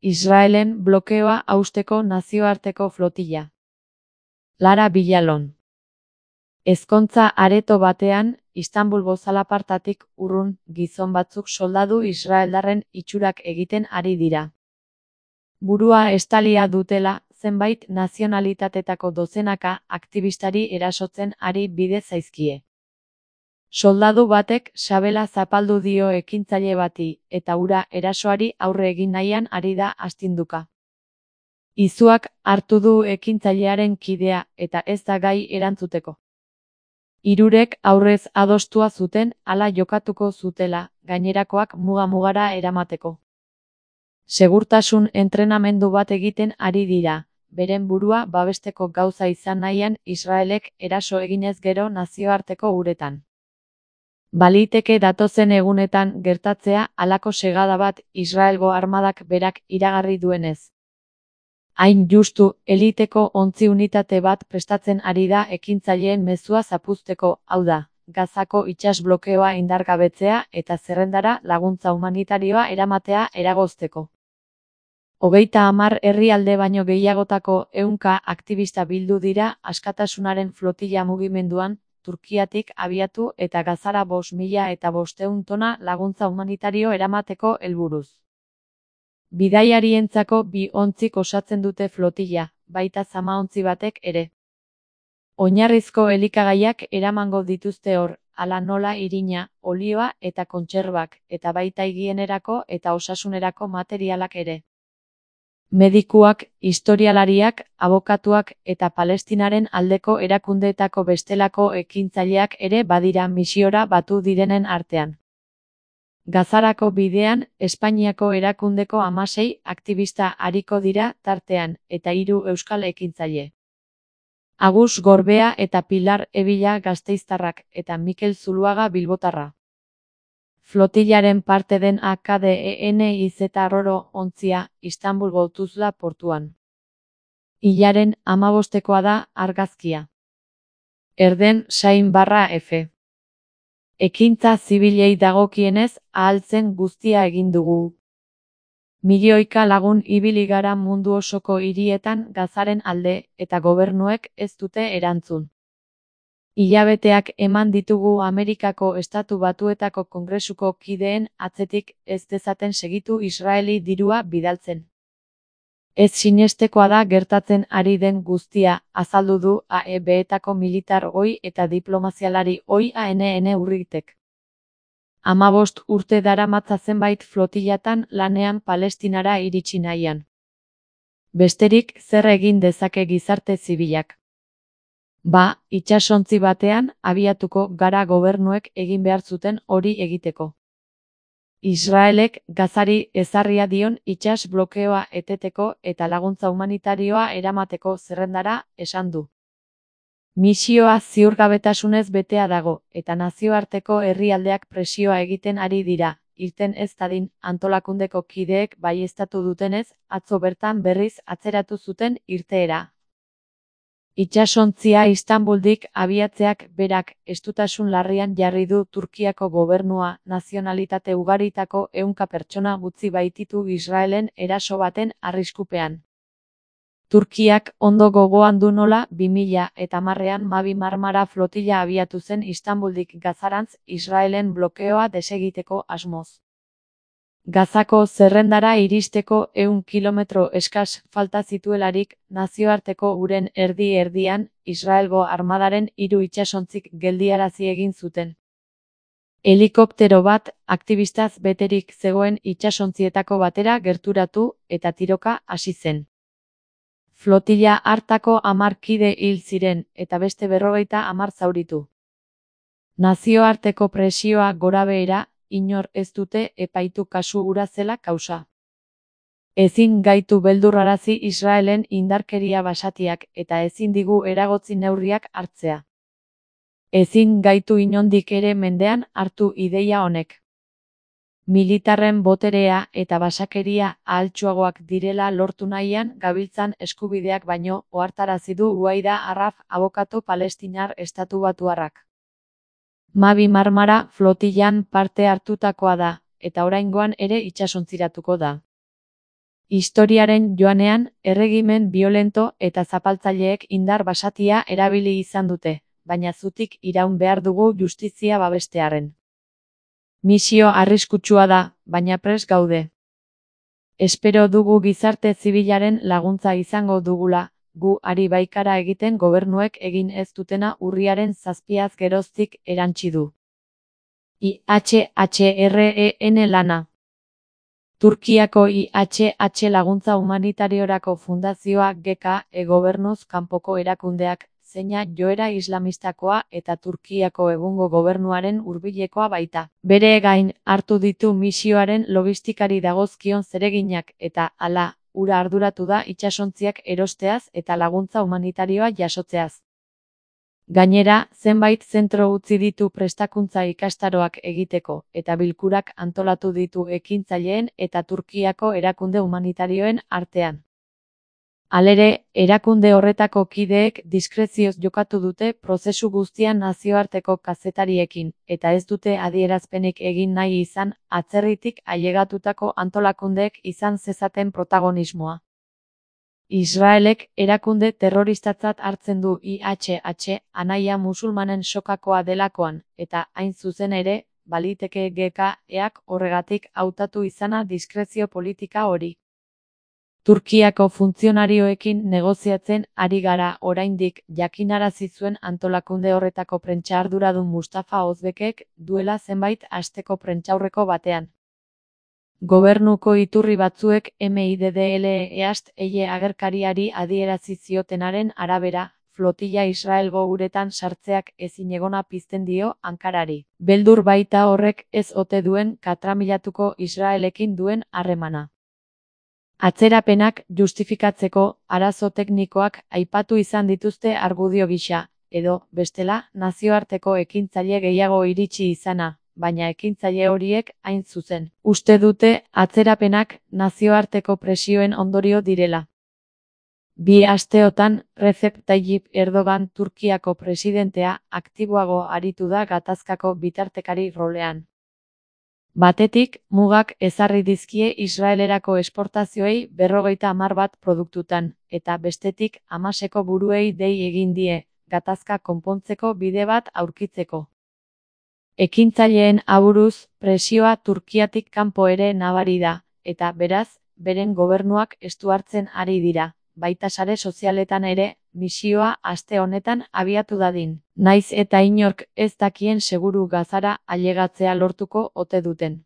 Israelen blokeoa hausteko nazioarteko flotilla. Lara Villalon. Ezkontza areto batean, Istanbulgo zalapartatik urrun gizon batzuk soldadu israeldarren itxurak egiten ari dira. Burua estalia dutela, zenbait nazionalitatetako dozenaka aktibistari erasotzen ari bide zaizkie. Soldadu batek sabela zapaldu dio ekintzaile bati, eta hura erasoari aurre egin nahian ari da astinduka. Izuak hartu du ekintzailearen kidea, eta ez da gai erantzuteko. Hirurek aurrez adostua zuten hala jokatuko zutela, gainerakoak muga-mugara eramateko. Segurtasun entrenamendu bat egiten ari dira, beren burua babesteko gauza izan nahian Israelek eraso eginez gero nazioarteko uretan. Baliteke datozen egunetan gertatzea halako segada bat Israelgo armadak berak iragarri duenez. Hain justu, eliteko ontzi unitate bat prestatzen ari da ekintzaileen mezua zapuzteko, hau da, Gazako itsas blokeoa indargabetzea eta zerrendara laguntza humanitarioa eramatea eragozteko. 30 herrialde baino gehiagotako 100 aktibista bildu dira askatasunaren flotilla mugimenduan, Turkiatik abiatu eta Gazara 5.500 tona laguntza humanitario eramateko helburuz. Bidaiarientzako 2 ontzik osatzen dute flotilla, baita zamaontzi batek ere. Oinarrizko elikagaiak eramango dituzte hor, hala nola irina, olioa eta kontserbak, eta baita higienerako eta osasunerako materialak ere. Medikuak, historialariak, abokatuak eta Palestinaren aldeko erakundeetako bestelako ekintzaileak ere badira misiora batu direnen artean. Gazarako bidean, Espainiako erakundeko 16 aktibista ariko dira tartean, eta 3 euskal ekintzaile. Agus Gorbea eta Pilar Ebila gasteiztarrak, eta Mikel Zuluaga bilbotarra. Flotillaren parte den AKDENIZ Roro ontzia, Istanbulgo Tuzla portuan. Hilaren 15koa da argazkia. Erden Sain/F. Ekintza zibilei dagokienez, ahaltzen guztia egin dugu. Milioika lagun ibili gara mundu osoko hirietan Gazaren alde, eta gobernuek ez dute erantzun. Hilabeteak eman ditugu Amerikako Estatu Batuetako Kongresuko kideen atzetik ez dezaten segitu Israeli dirua bidaltzen. Ez sinestekoa da gertatzen ari den guztia, azaldu du AEB-etako militar ohi eta diplomazialari ohi ANN Urritek. 15 urte daramatza zenbait flotillatan lanean Palestinara iritsi nahian. Besterik zer egin dezake gizarte zibilak? Itsasontzi batean abiatuko gara gobernuek egin behar zuten hori egiteko. Israelek Gazari ezarria dion itsas blokeoa eteteko eta laguntza humanitarioa eramateko zerrendara esan du. Misioa ziurgabetasunez betea dago, eta nazioarteko herrialdeak presioa egiten ari dira, irten ez dadin antolakundeko kideek baieztatu dutenez, atzo bertan berriz atzeratu zuten irteera. Itsasontzia Istanbuldik abiatzeak berak estutasun larrian jarri du Turkiako gobernua, nazionalitate ugaritako 100 pertsona utzi baititu Israelen eraso baten arriskupean. Turkiak ondo gogoan du nola 2010an Mavi Marmara flotilla abiatu zen Istanbuldik Gazarantz Israelen blokeoa desegiteko asmoz. Gazako zerrendara iristeko 100 kilometro eskas falta zituelarik, nazioarteko uren erdi-erdian, Israelgo armadaren 3 itsasontzik geldiarazi egin zuten. Helikoptero bat, aktibistaz beterik zegoen itsasontzietako batera gerturatu, eta tiroka hasi zen. Flotilla hartako 10 kide hil ziren, eta beste 50 zauritu. Nazioarteko presioa gorabehera, inor ez dute epaitu kasu hura zela kausa. Ezin gaitu beldurrarazi Israelen indarkeria basatiak eta ezin digu eragotzi neurriak hartzea. Ezin gaitu inondik ere mendean hartu ideia honek. Militarren boterea eta basakeria ahaltsuagoak direla lortu nahian gabiltzan eskubideak baino ohartarazi du Uaida Arraf abokatu palestinar estatubatuarrak. Mavi Marmara flotillan parte hartutakoa da, eta oraingoan ere itsasontziratuko da. Historiaren joanean, erregimen biolento eta zapaltzaileek indar basatia erabili izan dute, baina zutik iraun behar dugu justizia babestearren. Misio arriskutsua da, baina prest gaude. Espero dugu gizarte zibilaren laguntza izango dugula, gu ari baikara egiten gobernuek egin ez dutena urriaren 7 geroztik erantsi du. IHHREN lana. Turkiako IHH laguntza humanitariorako fundazioa GK gobernuz kanpoko erakundeak, zeina joera islamistakoa eta Turkiako egungo gobernuaren hurbilekoa baita. Bere gain hartu ditu misioaren logistikari dagozkion zereginak eta hala, hura arduratu da itsasontziak erosteaz eta laguntza humanitarioa jasotzeaz. Gainera, zenbait zentro utzi ditu prestakuntza ikastaroak egiteko eta bilkurak antolatu ditu ekintzaileen eta Turkiako erakunde humanitarioen artean. Halere, erakunde horretako kideek diskrezioz jokatu dute prozesu guztian nazioarteko kazetariekin, eta ez dute adierazpenik egin nahi izan atzerritik ailegatutako antolakundeek izan zezaten protagonismoa. Israelek erakunde terroristatzat hartzen du IHH anaia musulmanen sokakoa delakoan, eta hain zuzen ere, baliteke GK-eak horregatik hautatu izana diskrezio politika hori. Turkiako funtzionarioekin negoziatzen ari gara oraindik jakinarazi zuen antolakunde horretako prentsa arduradun Mustafa Ozbekek duela zenbait asteko prentsaurreko batean. Gobernuko iturri batzuek MIDDLEAST agerkariari adierazi ziotenaren arabera, flotila Israelgo uretan sartzeak ezinegona pizten dio Ankarari. Beldur baita horrek ez ote duen katramilatuko Israelekin duen harremana. Atzerapenak justifikatzeko arazo teknikoak aipatu izan dituzte argudio gisa, edo, bestela, nazioarteko ekintzaile gehiago iritsi izana, baina ekintzaile horiek hain zuzen. Uste dute atzerapenak nazioarteko presioen ondorio direla. 2 asteotan, Recep Tayyip Erdogan Turkiako presidentea aktiboago aritu da gatazkako bitartekari rolean. Batetik, mugak ezarri dizkie Israelerako esportazioei 50 bat produktutan, eta bestetik Hamaseko buruei dei egin die, gatazka konpontzeko bide bat aurkitzeko. Ekintzaileen aburuz, presioa Turkiatik kanpo ere nabari da, eta beraz, beren gobernuak estu hartzen ari dira, baita sare sozialetan ere, misioa aste honetan abiatu dadin. Naiz eta inork ez dakien seguru Gazara ailegatzea lortuko ote duten.